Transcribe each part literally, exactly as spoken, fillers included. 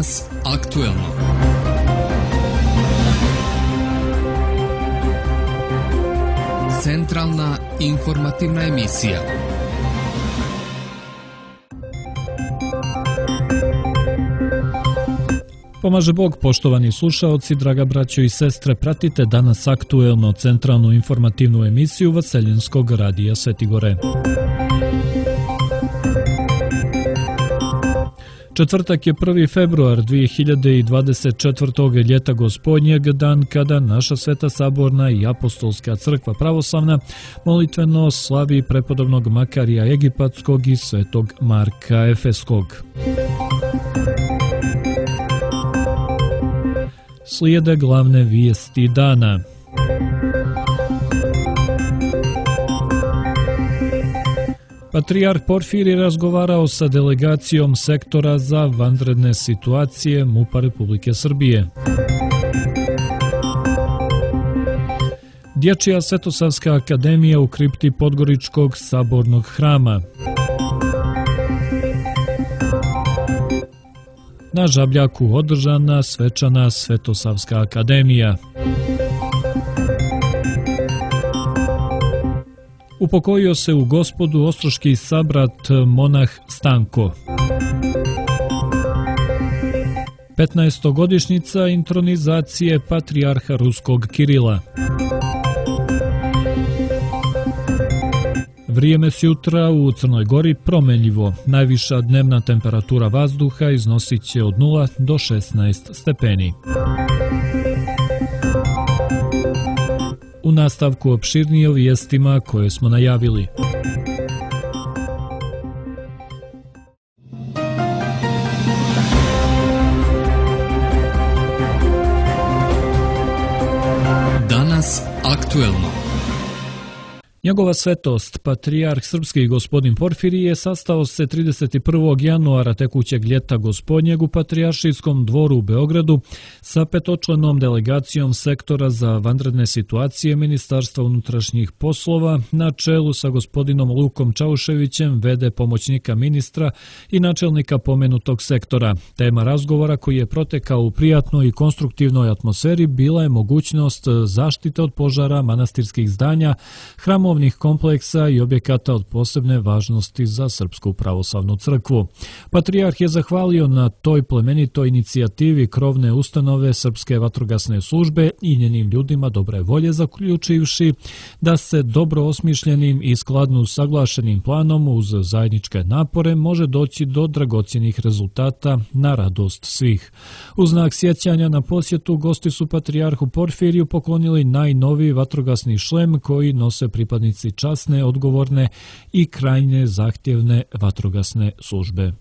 Danas aktuelno. Centralna informativna emisija. Pomaže Bog, poštovani slušaoci, draga braćo i sestre, pratite Danas aktuelno, centralnu informativnu emisiju Vaseljenskog radija Sveti Gore. Četvrtak je prvi februar dvije hiljade dvadeset četvrtog. ljeta Gospodnjeg, dan kada naša Sveta Saborna i Apostolska crkva pravoslavna molitveno slavi prepodobnog Makarija Egipatskog i Svetog Marka Efeskog. Slijede glavne vijesti dana. Patrijarh Porfirije razgovarao sa delegacijom sektora za vanredne situacije MUP-a Republike Srbije. Dječja Svetosavska akademija u kripti Podgoričkog sabornog hrama. Na Žabljaku održana svečana Svetosavska akademija. Upokojio se u Gospodu ostroški sabrat monah Stanko. petnaestogodišnjica intronizacije patrijarha Ruskog Kirila. Vrijeme sutra u Crnoj Gori promenljivo. Najviša dnevna temperatura vazduha iznosit će od nula do šesnaest stepeni. U nastavku opširnije o vijestima koje smo najavili. Danas aktuelno. Njegova svetost, patrijarh srpski gospodin Porfirije, sastao se trideset prvog januara tekućeg ljeta Gospodnjeg u Patrijaršijskom dvoru u Beogradu sa petočlanom delegacijom sektora za vanredne situacije Ministarstva unutrašnjih poslova na čelu sa gospodinom Lukom Čauševićem, v d pomoćnika ministra i načelnika pomenutog sektora. Tema razgovora, koji je protekao u prijatnoj i konstruktivnoj atmosferi, bila je mogućnost zaštite od požara manastirskih zdanja, hramova kompleksa i objekata od posebne važnosti za Srpsku pravoslavnu crkvu. Patrijarh je zahvalio na toj plemenitoj inicijativi krovne ustanove Srpske vatrogasne službe i njenim ljudima dobre volje, zaključivši da se dobro osmišljenim i skladno usaglašenim planom uz zajedničke napore može doći do dragocjenih rezultata na radost svih. U znak sjećanja na posjetu, gosti su patrijarhu Porfiriju poklonili najnoviji vatrogasni šlem koji nose pripadnici časne, odgovorne i krajnje zahtjevne vatrogasne službe.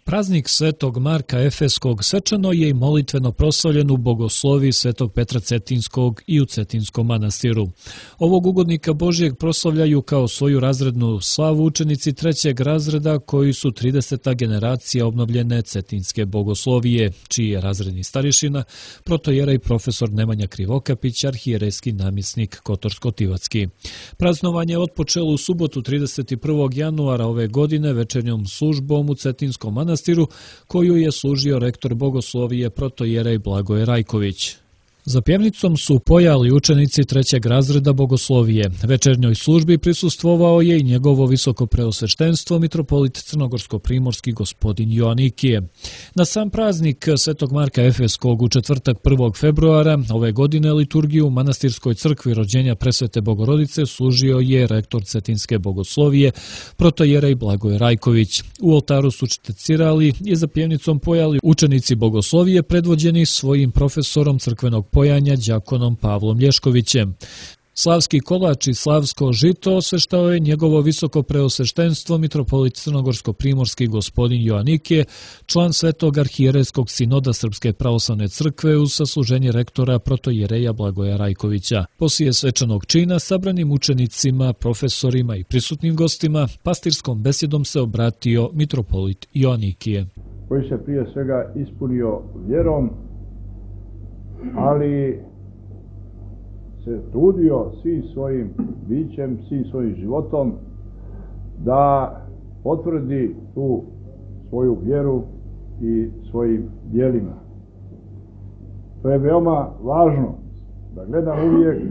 Praznik Svetog Marka Efeskog svečano je i molitveno proslavljen u bogosloviji Svetog Petra Cetinskog i u Cetinskom manastiru. Ovog ugodnika Božijeg proslavljaju kao svoju razrednu slavu učenici trećeg razreda koji su trideseta generacija obnovljene Cetinske bogoslovije, čiji je razredni starješina protojerej profesor Nemanja Krivokapić, arhijerejski namjesnik Kotorsko-Tivacki. Praznovanje je otpočelo u subotu trideset prvog januara ove godine večernjom službom u Cetinskom manastiru, koju je služio rektor bogoslovije protojerej Blagoje Rajković. Za pjevnicom su pojali učenici trećeg razreda bogoslovije. Večernjoj službi prisustvovao je i njegovo visoko preosveštenstvo mitropolit crnogorsko-primorski gospodin Joanikije. Na sam praznik Svetog Marka Efeskog u četvrtak prvog februara ove godine liturgiju u manastirskoj crkvi rođenja Presvete Bogorodice služio je rektor Cetinske bogoslovije protojerej Blagoje Rajković. U oltaru su štecirali i za pjevnicom pojali učenici bogoslovije predvođeni svojim profesorom crkvenog pojanja đakonom Pavlom Lješkovićem. Slavski kolač i slavsko žito osveštao je njegovo visoko preosveštenstvo mitropolit crnogorsko-primorski gospodin Joanikije, član Svetog arhijerejskog sinoda Srpske pravoslavne crkve uz sasluženje rektora protojereja Blagoja Rajkovića. Poslije svečanog čina sabranim učenicima, profesorima i prisutnim gostima pastirskom besjedom se obratio mitropolit Joanikije, koji se prije svega ispunio vjerom, ali se trudio svim svojim bićem, svim svojim životom da potvrdi tu svoju vjeru i svojim djelima. To je veoma važno da gledam uvijek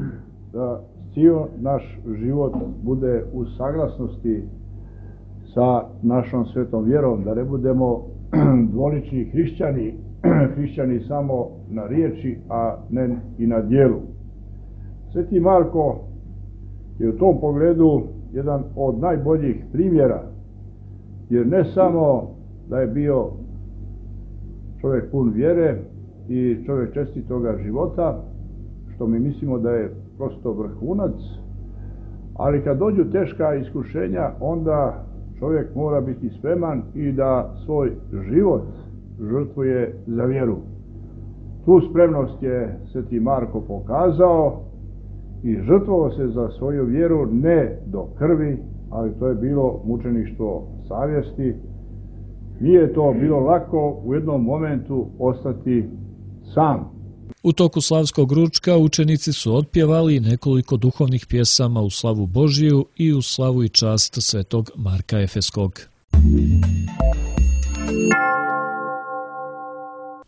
da cijel naš život bude u saglasnosti sa našom svetom vjerom, da ne budemo dvolični hrišćani, hrišćani samo na riječi, a ne i na djelu. Sveti Marko je u tom pogledu jedan od najboljih primjera, jer ne samo da je bio čovjek pun vjere i čovjek čestitoga života, što mi mislimo da je prosto vrhunac, ali kad dođu teška iskušenja, onda čovjek mora biti spreman i da svoj život žrtvuje za vjeru. Tu spremnost je sveti Marko pokazao i žrtvovao se za svoju vjeru ne do krvi, ali to je bilo mučeništvo savjesti. Nije to bilo lako u jednom momentu ostati sam. U toku slavskog ručka učenici su otpjevali nekoliko duhovnih pjesama u slavu Božiju i u slavu i čast svetog Marka Efeskog.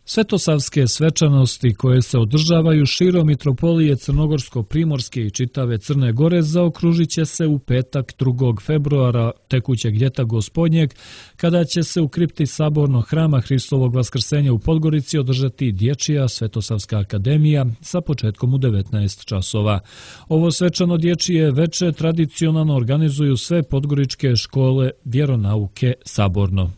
Svetosavske svečanosti koje se održavaju širom mitropolije Crnogorsko-Primorske i čitave Crne Gore zaokružit će se u petak drugog februara tekućeg ljeta gospodnjeg, kada će se u kripti Sabornog hrama Hristovog Vaskrsenja u Podgorici održati dječja Svetosavska akademija sa početkom u devetnaest časova. Ovo svečano dječje veče tradicionalno organizuju sve podgoričke škole vjeronauke Saborno.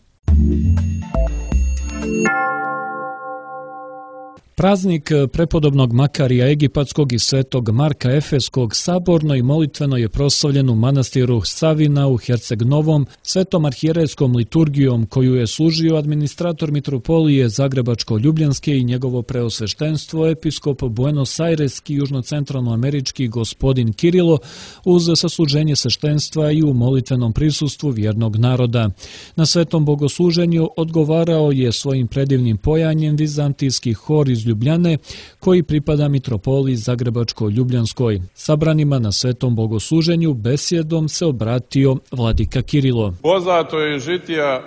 Praznik prepodobnog Makarija Egipatskog i svetog Marka Efeskog saborno i molitveno je proslavljen u manastiru Savina u Herceg Novom svetom arhijerejskom liturgijom koju je služio administrator mitropolije Zagrebačko-Ljubljanske i njegovo preosveštenstvo episkop Buenos Aireski južnocentralnoamerički gospodin Kirilo uz sasluženje sveštenstva i u molitvenom prisustvu vjernog naroda. Na svetom bogosluženju odgovarao je svojim predivnim pojanjem vizantijski hor iz Ljubljane, koji pripada mitropoliji Zagrebačko-Ljubljanskoj. Sabranima na svetom bogosluženju besjedom se obratio vladika Kirilo. Poznato je žitija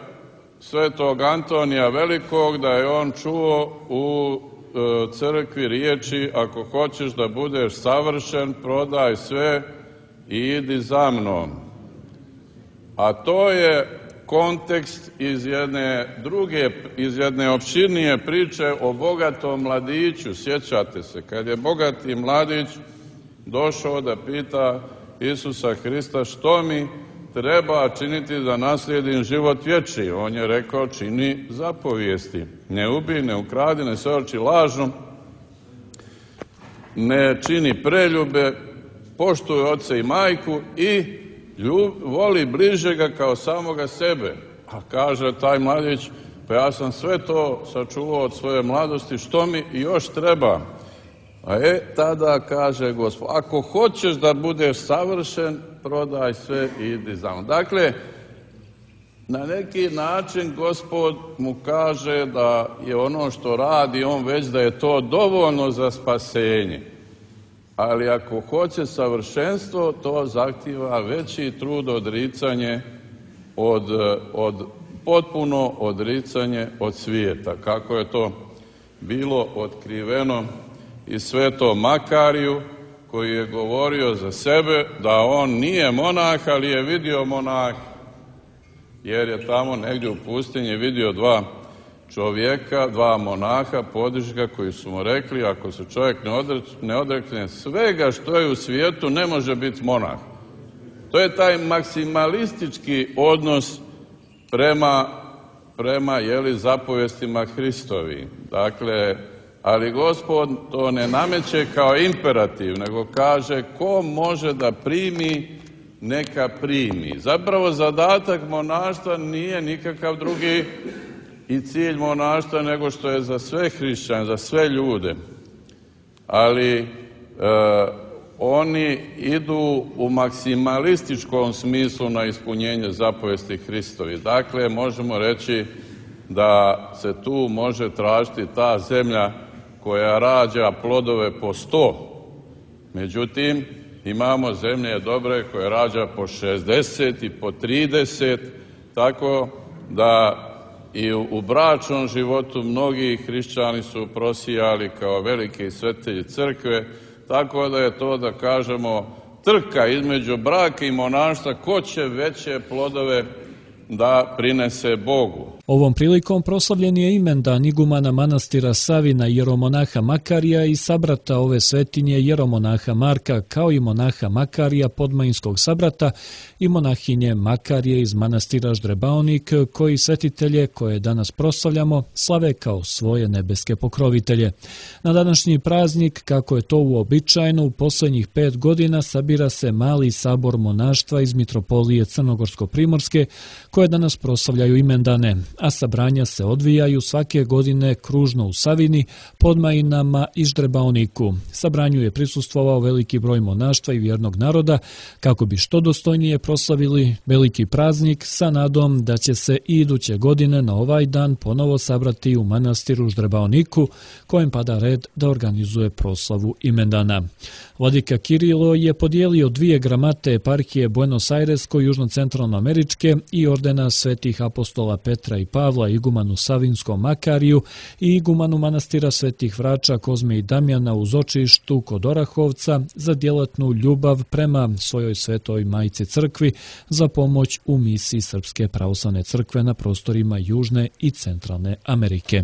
svetog Antonija Velikog da je on čuo u e, crkvi riječi: ako hoćeš da budeš savršen, prodaj sve i idi za mnom. A to je kontekst iz jedne druge, iz jedne opširnije priče o bogatom mladiću. Sjećate se, kad je bogati mladić došao da pita Isusa Hrista što mi treba činiti da naslijedim život vječni. On je rekao: čini zapovijesti. Ne ubij, ne ukradi, ne svedoči lažno, ne čini preljube, poštuj oca i majku i Ljub, voli bližega kao samoga sebe. A kaže taj mladić: pa ja sam sve to sačuvao od svoje mladosti, što mi još treba? A e, tada kaže Gospod: ako hoćeš da budeš savršen, prodaj sve i idi za mnom. Dakle, na neki način Gospod mu kaže da je ono što radi on već, da je to dovoljno za spasenje. Ali ako hoće savršenstvo, to zahtijeva veći trud, odricanje od, od potpuno odricanje od svijeta. Kako je to bilo otkriveno i svetom Makariju, koji je govorio za sebe da on nije monah, ali je vidio monah, jer je tamo negdje u pustinji vidio dva čovjeka, dva monaha, podižga, koji su mu rekli: ako se čovjek ne, odre, ne odrekne svega što je u svijetu, ne može biti monah. To je taj maksimalistički odnos prema, prema jeli, zapovjestima Hristovi. Dakle, ali Gospod to ne nameće kao imperativ, nego kaže: ko može da primi, neka primi. Zapravo zadatak monaštva nije nikakav drugi i cilj monaštva nego što je za sve hrišćane, za sve ljude. Ali e, oni idu u maksimalističkom smislu na ispunjenje zapovesti Hristovi. Dakle, možemo reći da se tu može tražiti ta zemlja koja rađa plodove po sto. Međutim, imamo zemlje dobre koje rađa po šezdeset i po trideset, tako da i u bračnom životu mnogi hrišćani su prosijali kao veliki svetitelji crkve, tako da je to, da kažemo, trka između braka i monaštva, ko će veće plodove da prinese Bogu. Ovom prilikom proslavljen je imendan igumana manastira Savina jeromonaha Makarija i sabrata ove svetinje jeromonaha Marka, kao i monaha Makarija podmajinskog sabrata i monahinje Makarije iz manastira Ždrebaonik, koji svetitelje koje danas proslavljamo slave kao svoje nebeske pokrovitelje. Na današnji praznik, kako je to uobičajeno, u posljednjih pet godina sabira se mali sabor monaštva iz mitropolije Crnogorsko-Primorske, koje danas proslavljaju imendane, a sabranja se odvijaju svake godine kružno u Savini, Podmajinama i Ždrebaoniku. Sabranju je prisustvovao veliki broj monaštva i vjernog naroda, kako bi što dostojnije proslavili veliki praznik, sa nadom da će se i iduće godine na ovaj dan ponovo sabrati u manastiru Ždrebaoniku, kojem pada red da organizuje proslavu imendana. Vladika Kirilo je podijelio dvije gramate eparhije Buenos Airesko-južno-centralnoameričke i ordena svetih apostola Petra i Pavla igumanu Savinskom Makariju i igumanu manastira svetih vrača Kozme i Damjana u Zočištu kod Orahovca za djelatnu ljubav prema svojoj svetoj majci crkvi za pomoć u misiji Srpske pravoslavne crkve na prostorima Južne i Centralne Amerike.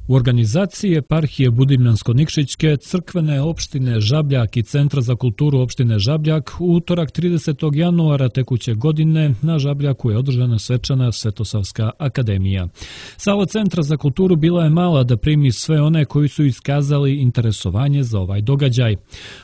U organizaciji eparhije Budimljansko-Nikšićke, crkvene opštine Žabljak i Centra za kulturu opštine Žabljak u utorak tridesetog januara tekuće godine na Žabljaku je održana svečana Svetosavska akademija. Sala Centra za kulturu bila je mala da primi sve one koji su iskazali interesovanje za ovaj događaj.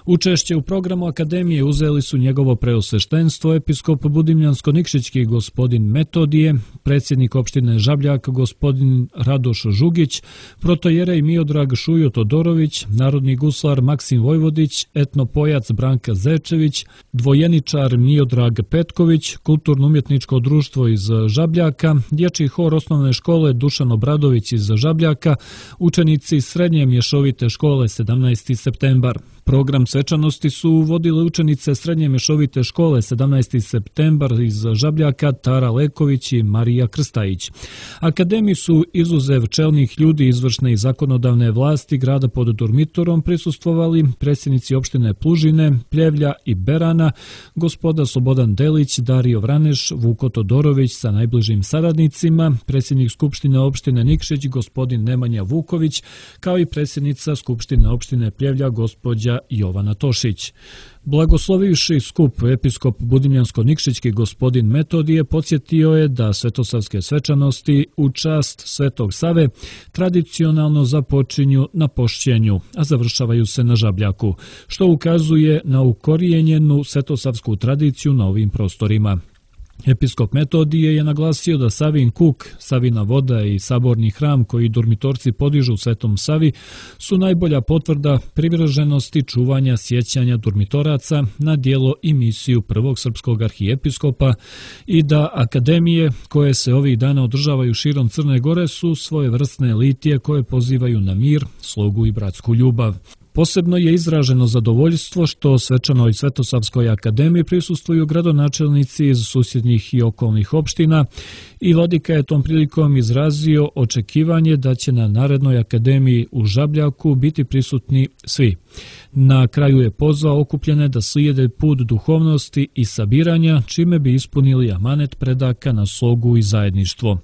Učešće u programu akademije uzeli su njegovo preosveštenstvo episkop Budimljansko-Nikšićki gospodin Metodije, predsjednik opštine Žabljak gospodin Radoš Žugić, protojerej Miodrag Šujo Todorović, narodni guslar Maksim Vojvodić, etnopojac Branka Zečević, dvojeničar Miodrag Petković, kulturno-umjetničko društvo iz Žabljaka, dječji hor osnovne škole Dušan Obradović iz Žabljaka, učenici srednje mješovite škole sedamnaesti septembar. Program svečanosti su vodile učenice srednje mješovite škole sedamnaesti septembar iz Žabljaka Tara Leković i Marija Krstajić. Akademiji su izuzev čelnih ljudi izvršne i zakonodavne vlasti grada pod Durmitorom prisustvovali predsjednici opštine Plužine, Pljevlja i Berana, gospoda Slobodan Delić, Dario Vraneš, Vuko Todorović sa najbližim saradnicima, predsjednik Skupštine opštine Nikšić gospodin Nemanja Vuković, kao i predsjednica Skupštine opštine Pljevlja gospođa Jovana Tošić. Blagoslovivši skup episkop Budimljansko-Nikšićki gospodin Metodije podsjetio je da svetosavske svečanosti u čast Svetog Save tradicionalno započinju na Pošćenju, a završavaju se na Žabljaku, što ukazuje na ukorijenjenu svetosavsku tradiciju na ovim prostorima. Episkop Metodije je naglasio da Savin kuk, Savina voda i saborni hram koji Durmitorci podižu u Svetom Savi su najbolja potvrda privrženosti čuvanja sjećanja Durmitoraca na djelo i misiju prvog srpskog arhijepiskopa i da akademije koje se ovih dana održavaju širom Crne Gore su svojevrsne litije koje pozivaju na mir, slogu i bratsku ljubav. Posebno je izraženo zadovoljstvo što svečanoj Svetosavskoj akademiji prisustvuju gradonačelnici iz susjednih i okolnih opština i vladika je tom prilikom izrazio očekivanje da će na narednoj akademiji u Žabljaku biti prisutni svi. Na kraju je pozvao okupljene da slijede put duhovnosti i sabiranja, čime bi ispunili amanet predaka na slogu i zajedništvo.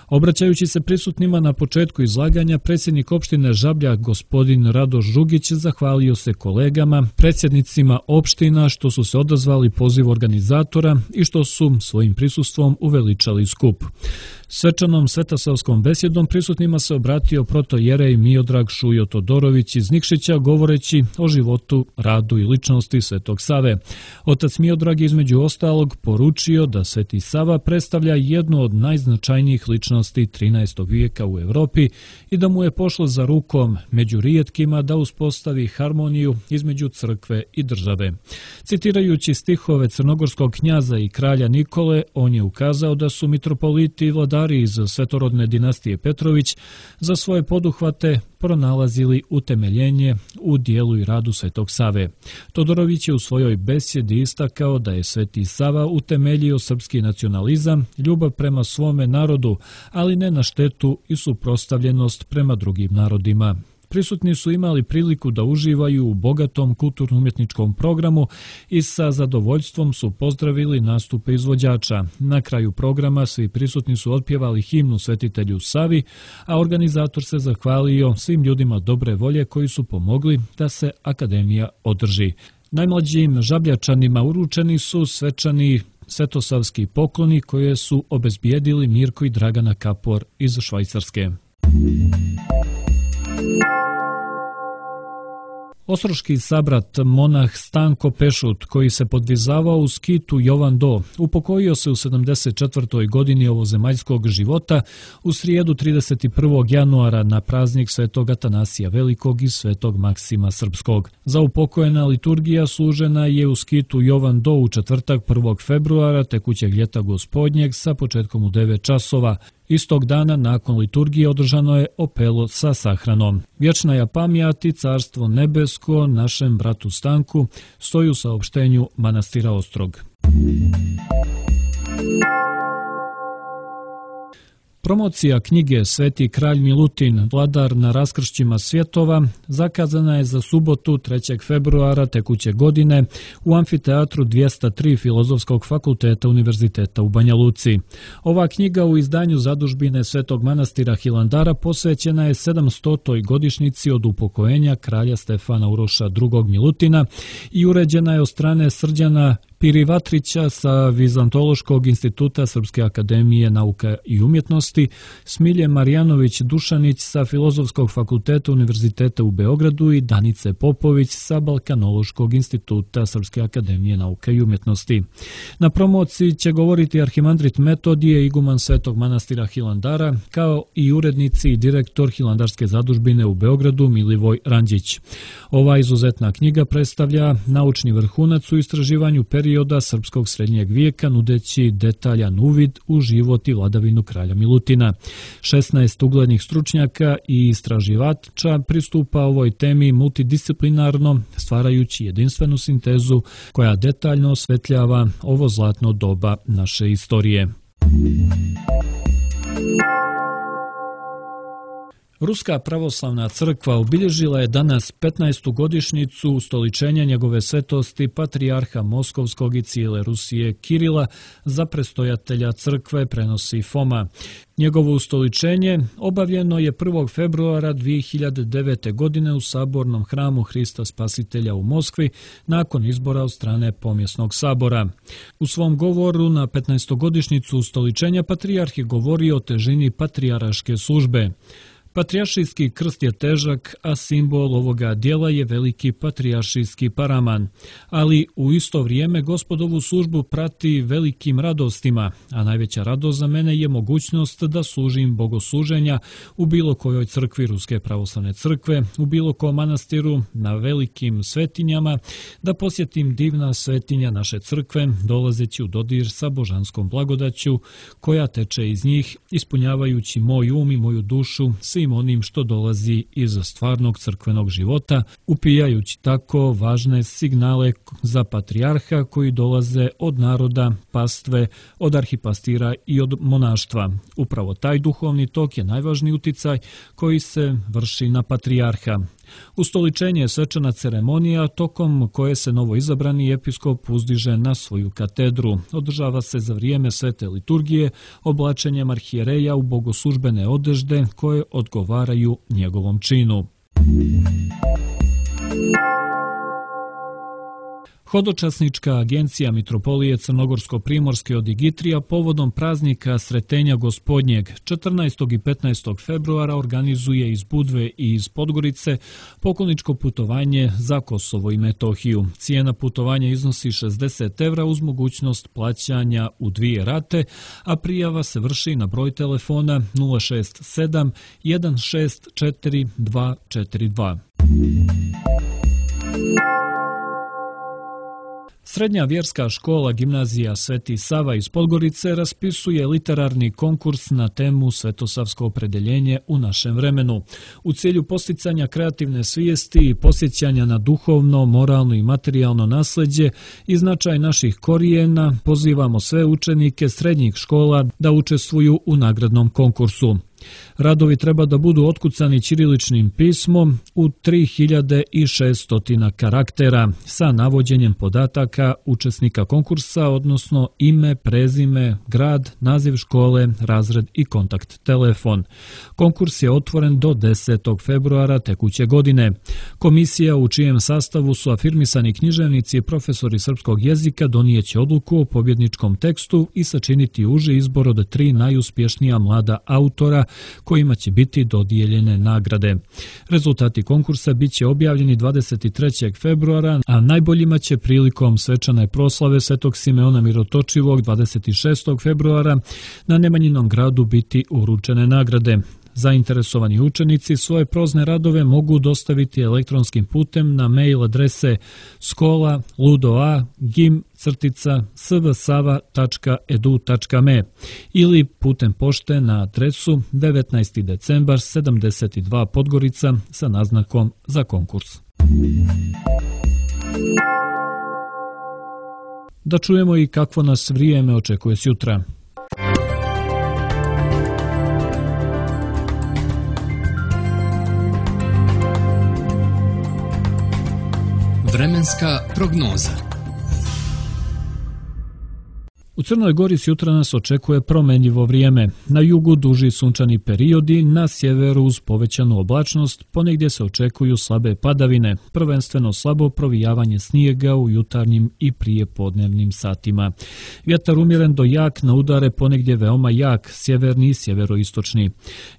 Obraćajući se prisutnima na početku izlaganja, predsjednik opštine Žabljak gospodin Radoš Žugić zahvalio se kolegama, predsjednicima opština što su se odazvali pozivu organizatora i što su svojim prisustvom uveličali skup. Svečanom svetosavskom besjedom prisutnima se obratio protojerej Miodrag Šujo Todorović iz Nikšića govoreći o životu, radu i ličnosti Svetog Save. Otac Miodrag između ostalog poručio da Sveti Sava predstavlja jednu od najznačajnijih ličnosti trinaestog vijeka u Evropi i da mu je pošlo za rukom među rijetkima da uspostavi harmoniju između crkve i države. Citirajući stihove crnogorskog knjaza i kralja Nikole, on je ukazao da su mitropoliti i vladari vladari iz svetorodne dinastije Petrović za svoje poduhvate pronalazili utemeljenje u dijelu i radu Svetog Save. Todorović je u svojoj besjedi istakao da je Sveti Sava utemeljio srpski nacionalizam, ljubav prema svome narodu, ali ne na štetu i suprotstavljenost prema drugim narodima. Prisutni su imali priliku da uživaju u bogatom kulturno-umjetničkom programu i sa zadovoljstvom su pozdravili nastupe izvođača. Na kraju programa svi prisutni su otpjevali himnu Svetitelju Savi, a organizator se zahvalio svim ljudima dobre volje koji su pomogli da se akademija održi. Najmlađim žabljačanima uručeni su svečani svetosavski pokloni koje su obezbijedili Mirko i Dragana Kapor iz Švajcarske. Ostroški sabrat monah Stanko Pešut, koji se podvizavao u skitu Jovan Do, upokojio se u sedamdeset četvrtoj godini ovozemaljskog života u srijedu trideset prvog januara na praznik Svetog Atanasija Velikog i Svetog Maksima Srpskog. Za upokojena liturgija služena je u skitu Jovan Do u četvrtak prvog februara tekućeg ljeta gospodnjeg sa početkom u devet časova. Istog dana nakon liturgije održano je opelo sa sahranom. Vječna je pamjat i carstvo nebesko našem bratu Stanku, stoji u saopštenju manastira Ostrog. Promocija knjige Sveti kralj Milutin, vladar na raskršćima svjetova, zakazana je za subotu trećeg februara tekuće godine u amfiteatru dvjesto tri Filozofskog fakulteta Univerziteta u Banja Luci. Ova knjiga u izdanju zadužbine Svetog manastira Hilandara posvećena je sedamstotoj godišnjici od upokojenja kralja Stefana Uroša drugog Milutina i uređena je od strane Srđana Pirivatrića sa Vizantološkog instituta Srpske akademije nauka i umjetnosti, Smilje Marjanović Dušanić sa Filozofskog fakulteta Univerziteta u Beogradu i Danice Popović sa Balkanološkog instituta Srpske akademije nauka i umjetnosti. Na promociji će govoriti arhimandrit Metodije, iguman Svetog manastira Hilandara, kao i urednici i direktor Hilandarske zadužbine u Beogradu Milivoj Ranđić. Ova izuzetna knjiga predstavlja naučni vrhunac u istraživanju perioda perioda srpskog srednjeg vijeka, nudeći detaljan uvid u život i vladavinu kralja Milutina. šesnaest uglednih stručnjaka i istraživača pristupa ovoj temi multidisciplinarno, stvarajući jedinstvenu sintezu koja detaljno osvetljava ovo zlatno doba naše istorije. Ruska pravoslavna crkva obilježila je danas petnaestu godišnjicu ustoličenja njegove svetosti patrijarha Moskovskog i cijele Rusije Kirila za prestojatelja crkve, prenosi Foma. Njegovo ustoličenje obavljeno je prvog februara dvije hiljade devete. godine u sabornom hramu Hrista Spasitelja u Moskvi nakon izbora od strane Pomjesnog sabora. U svom govoru na petnaestogodišnjicu ustoličenja patrijarh je govorio o težini patrijaraške službe. Patrijaršijski krst je težak, a simbol ovoga dijela je veliki patrijaršijski paraman. Ali u isto vrijeme Gospodovu službu prati velikim radostima, a najveća radost za mene je mogućnost da služim bogosluženja u bilo kojoj crkvi Ruske pravoslavne crkve, u bilo kom manastiru, na velikim svetinjama, da posjetim divna svetinja naše crkve, dolazeći u dodir sa božanskom blagodaću koja teče iz njih, ispunjavajući moj um i moju dušu svim onim što dolazi iz stvarnog crkvenog života, upijajući tako važne signale za patrijarha koji dolaze od naroda, pastve, od arhipastira i od monaštva. Upravo taj duhovni tok je najvažniji uticaj koji se vrši na patrijarha. Ustoličenje je svečana ceremonija tokom koje se novoizabrani episkop uzdiže na svoju katedru. Održava se za vrijeme svete liturgije oblačenjem arhijereja u bogoslužbene odežde koje odgovaraju njegovom činu. Hodočasnička agencija Mitropolije Crnogorsko-Primorske od Igitrija povodom praznika Sretenja Gospodnjeg četrnaestog i petnaestog februara organizuje iz Budve i iz Podgorice pokloničko putovanje za Kosovo i Metohiju. Cijena putovanja iznosi šezdeset evra uz mogućnost plaćanja u dvije rate, a prijava se vrši na broj telefona nula šest sedam jedan šest četiri dva četiri dva. Srednja vjerska škola Gimnazija Sveti Sava iz Podgorice raspisuje literarni konkurs na temu Svetosavsko opredeljenje u našem vremenu. U cilju posticanja kreativne svijesti i posjećanja na duhovno, moralno i materijalno nasleđe i značaj naših korijena, pozivamo sve učenike srednjih škola da učestvuju u nagradnom konkursu. Radovi treba da budu otkucani ćiriličnim pismom u tri hiljade šesto karaktera sa navođenjem podataka učesnika konkursa, odnosno ime, prezime, grad, naziv škole, razred i kontakt telefon. Konkurs je otvoren do desetog februara tekuće godine. Komisija u čijem sastavu su afirmisani književnici i profesori srpskog jezika donijeće odluku o pobjedničkom tekstu i sačiniti uži izbor od tri najuspješnija mlada autora kojima će biti dodijeljene nagrade. Rezultati konkursa bit će objavljeni dvadeset trećeg februara, a najboljima će prilikom svečane proslave Svetog Simeona Mirotočivog dvadeset šestog februara na Nemanjinom gradu biti uručene nagrade. Zainteresovani učenici svoje prozne radove mogu dostaviti elektronskim putem na mail adrese skola ludoa gim crtica svsava tačka edu tačka me ili putem pošte na adresu devetnaesti decembar sedamdeset dva Podgorica sa naznakom za konkurs. Da čujemo i kakvo nas vrijeme očekuje sutra. Vremenska prognoza. U Crnoj Gori sutra nas očekuje promenljivo vrijeme. Na jugu duži sunčani periodi, na sjeveru uz povećanu oblačnost, ponegdje se očekuju slabe padavine, prvenstveno slabo provijavanje snijega u jutarnjim i prijepodnevnim satima. Vjetar umjeren do jak, na udare ponegdje veoma jak, sjeverni i sjeveroistočni.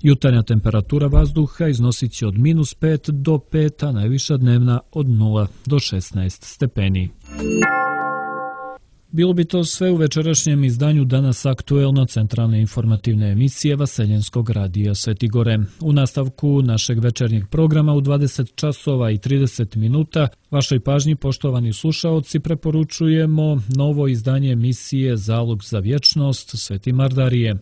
Jutarnja temperatura vazduha iznosit će od minus pet do pet, a najviša dnevna od nula do šesnaest stepeni. Bilo bi to sve u večerašnjem izdanju Danas aktuelno centralne informativne emisije Vaseljenskog radija Svetigore. U nastavku našeg večernjeg programa u dvadeset časova i trideset minuta vašoj pažnji, poštovani slušaoci, preporučujemo novo izdanje emisije Zalog za vječnost Sveti Mardarije.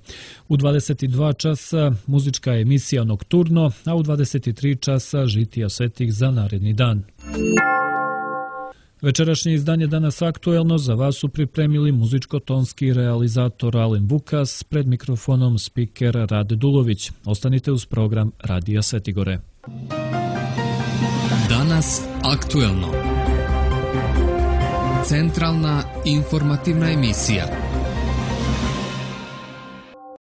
U dvadeset dva časa muzička emisija Nokturno, a u dvadeset tri časa žitija svetih za naredni dan. Večerašnje izdanje Danas aktuelno za vas su pripremili muzičko-tonski realizator Alen Vukas, pred mikrofonom spiker Rade Dulović. Ostanite uz program Radija Svetigore. Danas aktuelno. Centralna informativna emisija.